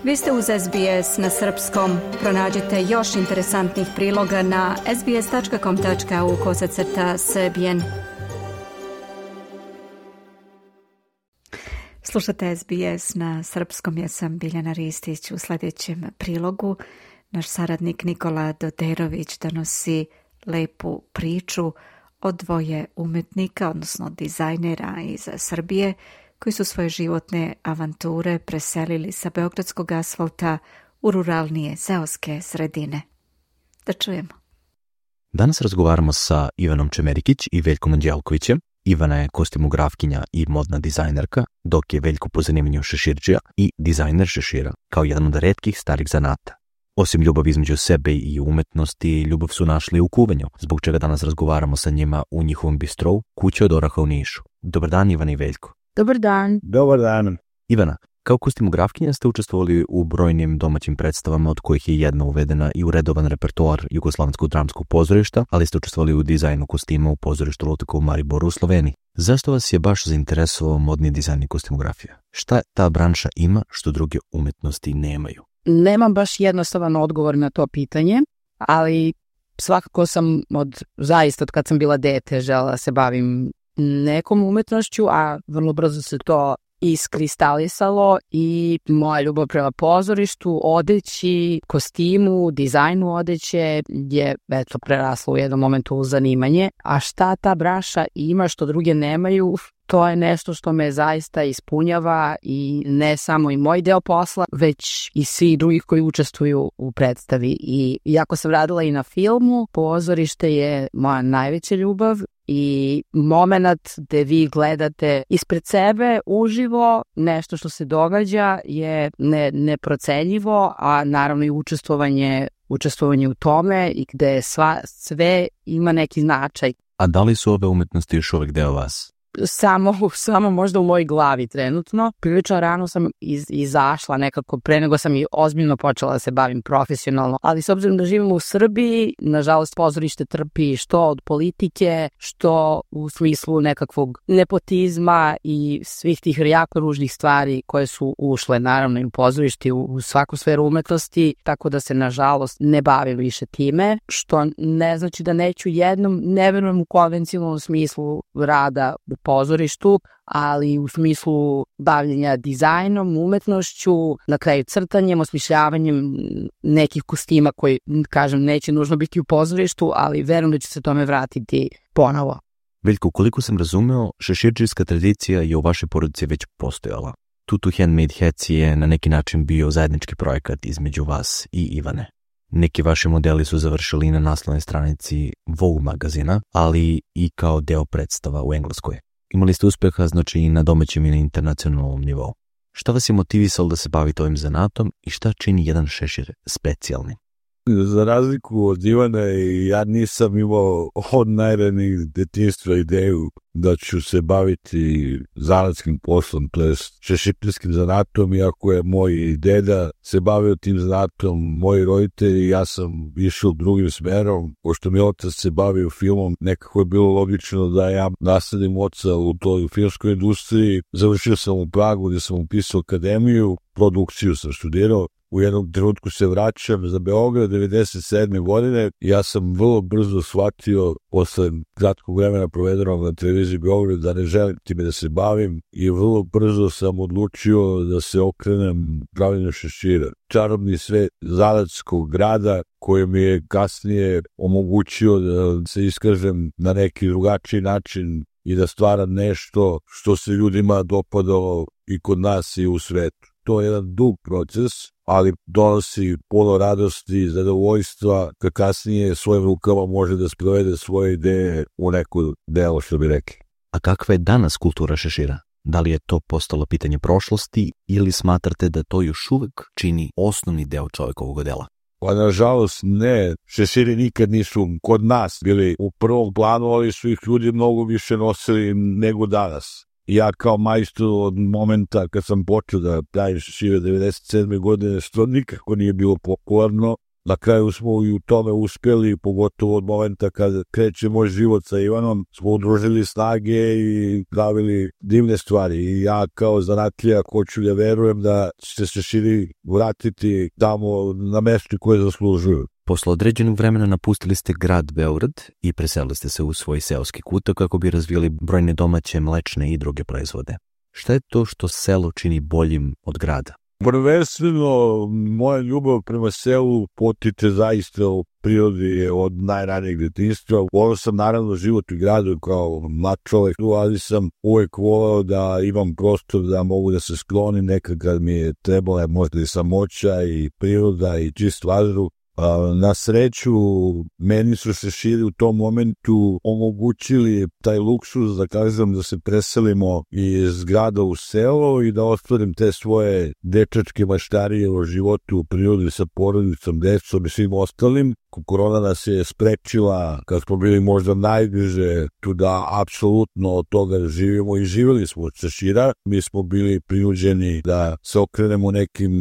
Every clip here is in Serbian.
Vi ste uz SBS na srpskom. Pronađite još interesantnih priloga na sbs.com.au/srbijen. Slušate SBS na srpskom, ja sam Biljana Ristić. U sljedećem prilogu naš saradnik Nikola Doderović donosi lepu priču o dvoje umetnika, odnosno dizajnera iz Srbije, koji su svoje životne avanture preselili sa beogradskog asfalta u ruralnije seoske sredine. Da čujemo. Danas razgovaramo sa Ivanom Čemerikić i Veljkom Anđelkovićem. Ivana je kostimografkinja i modna dizajnerka, dok je Veljko po zanimanju šeširđija i dizajner šešira, kao jedan od retkih starih zanata. Osim ljubavi između sebe i umetnosti, ljubav su našli u kuvanju, zbog čega danas razgovaramo sa njima u njihovom bistrovu Kuća od oraha u Nišu. Dobar dan, Ivana i Veljko. Dobar dan. Dobar dan. Ivana, kao kostimografkinja ste učestvovali u brojnim domaćim predstavama, od kojih je jedna uvedena i u redovan repertoar Jugoslovenskog dramskog pozorišta, ali ste učestvovali u dizajnu kostima u pozorištu Lutaka u Mariboru u Sloveniji. Zašto vas je baš zainteresovao modni dizajn i kostimografija? Šta ta branša ima što druge umetnosti nemaju? Nemam baš jednostavan odgovor na to pitanje, ali svakako sam zaista od kad sam bila dete želela da se bavim nekom umetnošću, a vrlo brzo se to iskristalisalo i moja ljubav prema pozorištu, odeći, kostimu, dizajnu odeće je prerasla u jednom momentu u zanimanje. A šta ta branša ima što druge nemaju, to je nešto što me zaista ispunjava i ne samo i moj deo posla, već i svi drugih koji učestvuju u predstavi. I iako sam radila i na filmu, pozorište je moja najveća ljubav i moment gde vi gledate ispred sebe uživo nešto što se događa je neprocenjivo, a naravno i učestvovanje u tome i gde sve ima neki značaj. A da li su ove umetnosti još uvek deo vas? Samo možda u mojoj glavi trenutno. Prilično rano sam izašla nekako pre nego sam i ozbiljno počela da se bavim profesionalno. Ali s obzirom da živimo u Srbiji, nažalost pozorište trpi što od politike, što u smislu nekakvog nepotizma i svih tih jako ružnih stvari koje su ušle naravno i u pozorište, u svaku sferu umetnosti, tako da se nažalost ne bavim više time, što ne znači da neću jednom, ne verujem u konvencionalnom smislu rada u pozorištu, ali u smislu bavljenja dizajnom, umetnošću, na kraju crtanjem, osmišljavanjem nekih kostima koji, kažem, neće nužno biti u pozorištu, ali verujem da će se tome vratiti ponovo. Veljko, koliko sam razumeo, šeširđijska tradicija je u vašoj porodici već postojala. Tutu Handmade Hats je na neki način bio zajednički projekat između vas i Ivane. Neki vaši modeli su završili na naslovnoj stranici Vogue magazina, ali i kao deo predstava u Engleskoj. Imali ste uspeha, znači, i na domaćem i na internacionalnom nivou. Šta vas je motivisalo da se bavite ovim zanatom i šta čini jedan šešir specijalni? Za razliku od Ivane, ja nisam imao od najranijih detinjstva ideju da ću se baviti zanatskim poslom, to je šeširskim zanatom, iako je moj deda se bavio tim zanatom, moji roditelji, ja sam išao drugim smerom, pošto mi otac se bavio filmom, nekako je bilo logično da ja nasledim oca u toj filmskoj industriji. Završio sam u Pragu gdje sam upisao akademiju, produkciju sam studirao. U jednom trenutku se vraćam za Beograd 97. godine. Ja sam vrlo brzo shvatio, posle kratkog vremena provedenog na televiziji Beograd, da ne želim time da se bavim i vrlo brzo sam odlučio da se okrenem pravljenju šešira. Čarobni svet zanatskog grada koji mi je kasnije omogućio da se iskažem na neki drugačiji način i da stvaram nešto što se ljudima dopadalo i kod nas i u svetu. To je jedan dug proces, ali donosi puno radosti i zadovoljstva kad kasnije svojim rukama može da sprovede svoje ideje u neko delo, što bi rekli. A kakva je danas kultura šešira? Da li je to postalo pitanje prošlosti ili smatrate da to još uvek čini osnovni deo čovjekovog dela? Pa nažalost ne, šeširi nikad nisu kod nas bili u prvom planu, ali su ih ljudi mnogo više nosili nego danas. Ja kao majstor od momenta kad sam počeo da pravim šešire 97. godine, što nikako nije bilo popularno, Na kraju smo i u tome uspjeli, pogotovo od momenta kad kreće moj život sa Ivanom, smo udružili snage i pravili divne stvari. I ja kao zanatlija hoću da verujem da će se širi vratiti tamo na mesto koje zaslužuju. Posle određenog vremena napustili ste grad Beograd i preselili ste se u svoj seoski kutak kako bi razvijali brojne domaće mlečne i druge proizvode. Šta je to što selo čini boljim od grada? Prvenstveno, moja ljubav prema selu potiče zaista u prirodi od najranijeg detinjstva. Volio sam naravno život u gradu kao mlad čovjek, ali sam uvijek volio da imam prostor da mogu da se sklonim nekad kad mi je trebala možda i samoća i priroda i čist vazduh. Na sreću, meni su se širi u tom momentu omogućili taj luksuz da kažem da se preselimo iz grada u selo i da ostvarim te svoje dečačke maštarije o životu u prirodi sa porodicom, decom i svim ostalim. Korona nas je sprečila kad smo bili možda najbliže tu da apsolutno od toga živimo i živjeli smo od šešira. Mi smo bili prinuđeni da se okrenemo nekim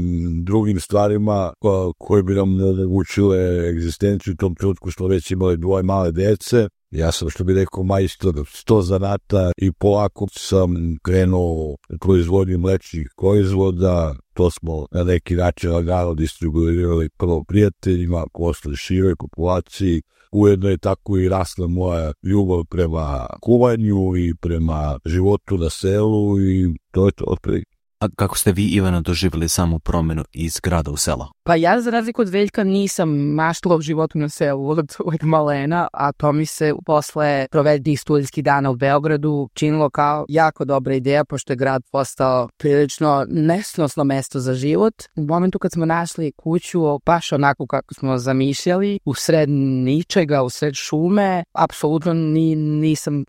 drugim stvarima koje bi nam omogućile egzistenciju. U tom trenutku smo već imali 2 male dece. Ja sam, što bi rekao, majstor 100 zanata i polako sam krenuo proizvodnju mlečnih proizvoda. To smo na neki način lagano distribuirali prvo prijateljima, posle široj populaciji. Ujedno je tako i rasla moja ljubav prema kuvanju i prema životu na selu i to je to otprilike. A kako ste vi, Ivana, doživjeli samu promjenu iz grada u selo? Pa ja, za razliku od Veljka, nisam maštala u životu na selu od malena, a to mi se posle provedenih studijskih dana u Beogradu činilo kao jako dobra ideja, pošto je grad postao prilično nesnosno mesto za život. U momentu kad smo našli kuću, baš onako kako smo zamišljali, u sred ničega, u sred šume, apsolutno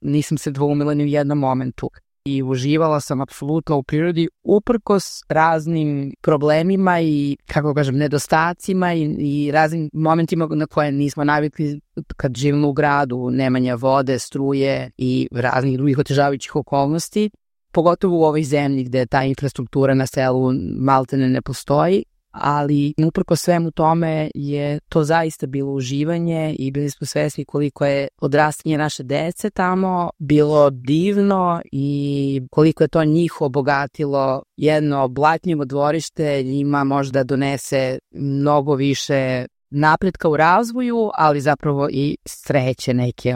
nisam se dvoumila ni u jednom momentu. I uživala sam apsolutno u prirodi uprkos raznim problemima i, kako kažem, nedostacima i raznim momentima na koje nismo navikli kad živimo u gradu, nemanja vode, struje i raznih drugih otežavajućih okolnosti, pogotovo u ovoj zemlji gde ta infrastruktura na selu maltene ne postoji. Ali uprkos svemu tome je to zaista bilo uživanje i bili smo svesni koliko je odrastanje naše dece tamo bilo divno i koliko je to njih obogatilo. Jedno blatnjivo dvorište njima možda donese mnogo više napretka u razvoju, ali zapravo i sreće neke,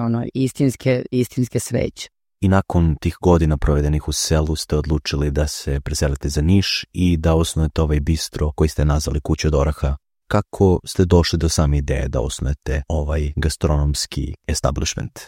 istinske sreće. I nakon tih godina provedenih u selu ste odlučili da se preselite za Niš i da osnujete ovaj bistro koji ste nazvali Kuća od oraha. Kako ste došli do same ideje da osnujete ovaj gastronomski establishment?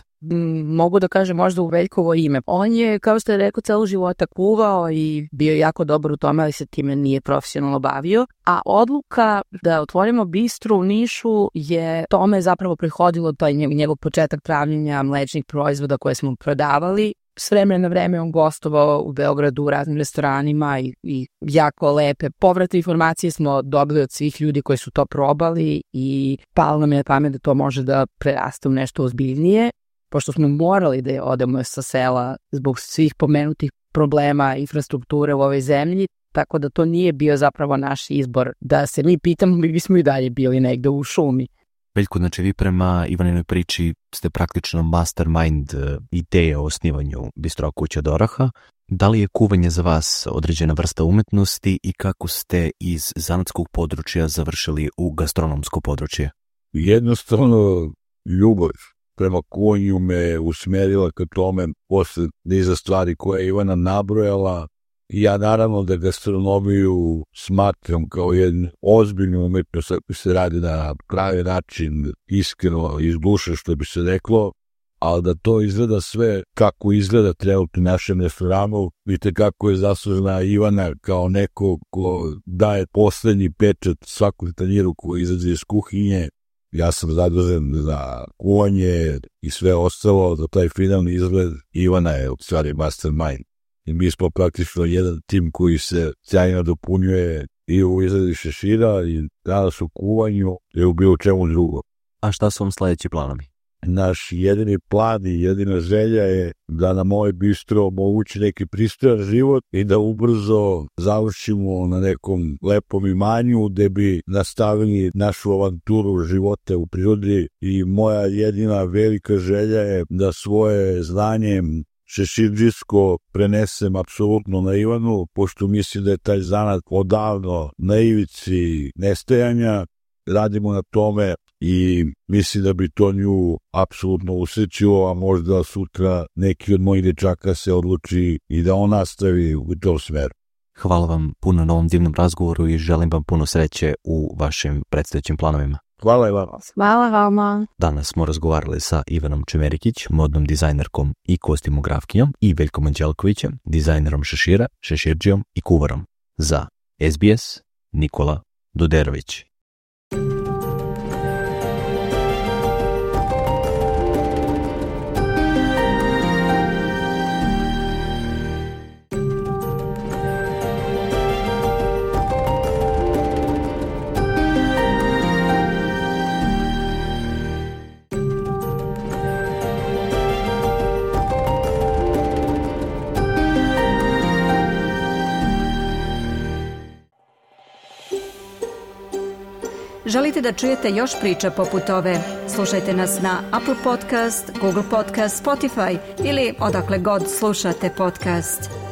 Mogu da kažem možda u Veljkovo ime. On je, kao što je rekao, celo života kuvao i bio jako dobar u tome, ali se time nije profesionalno bavio. A odluka da otvorimo bistro u Nišu je tome zapravo prihodilo taj njegov početak pravljenja mlečnih proizvoda koje smo prodavali. S vremena na vreme on gostovao u Beogradu u raznim restoranima i jako lepe povratne informacije smo dobili od svih ljudi koji su to probali i palo nam je na pamet da to može da preraste u nešto ozbiljnije. Pošto smo morali da odemo sa sela zbog svih pomenutih problema infrastrukture u ovoj zemlji, tako da to nije bio zapravo naš izbor. Da se mi pitamo, mi bismo i dalje bili negde u šumi. Veljko, znači vi prema Ivaninoj priči ste praktično mastermind ideje o osnivanju Bistro Kuća od oraha. Da li je kuvanje za vas određena vrsta umetnosti i kako ste iz zanatskog područja završili u gastronomsko područje? Jednostavno, ljubav prema kuvanju me usmerila ka tome posle niza stvari koje je Ivana nabrojala. Ja naravno da gastronomiju smatram kao jednu ozbiljnu umetnost ako se radi na pravi način, iskreno, iz duše što bi se reklo, ali da to izgleda sve kako izgleda trenutno u našem restoranu. Vidite kako je zaslužena Ivana kao neko ko daje poslednji pečat svakom tanjiru koji izađe iz kuhinje. Ja sam zadužen za kuvanje i sve ostalo, za taj finalni izgled. Ivana je u stvari mastermind. I mi smo praktično jedan tim koji se sjajno dopunjuje i u izradi šešira i danas u kuvanju i u bilo čemu drugo. A šta su vam sledeći planovi? naš jedini plan i jedina želja je da nam ovaj bistro omogući neki pristojan život i da ubrzo završimo na nekom lepom imanju gde bi nastavili našu avanturu života u prirodi. I moja jedina velika želja je da svoje znanje šeširdžijsko prenesem apsolutno na Ivanu, pošto mislim da je taj zanat odavno na ivici nestajanja. Radimo na tome i mislim da bi to nju apsolutno usrećilo, a možda sutra neki od mojih dečaka se odluči i da on nastavi u tom smeru. Hvala vam puno na ovom divnom razgovoru i želim vam puno sreće u vašim predstojećim planovima. Hvala i vama. Hvala vama. Danas smo razgovarali sa Ivanom Čemerikić, modnom dizajnerkom i kostimografkinjom, i Veljkom Anđelkovićem, dizajnerom šešira, šeširđijom i kuvarom. Za SBS, Nikola Doderović. Želite da čujete još priča poput ove? Slušajte nas na Apple Podcast, Google Podcast, Spotify ili odakle god slušate podcast.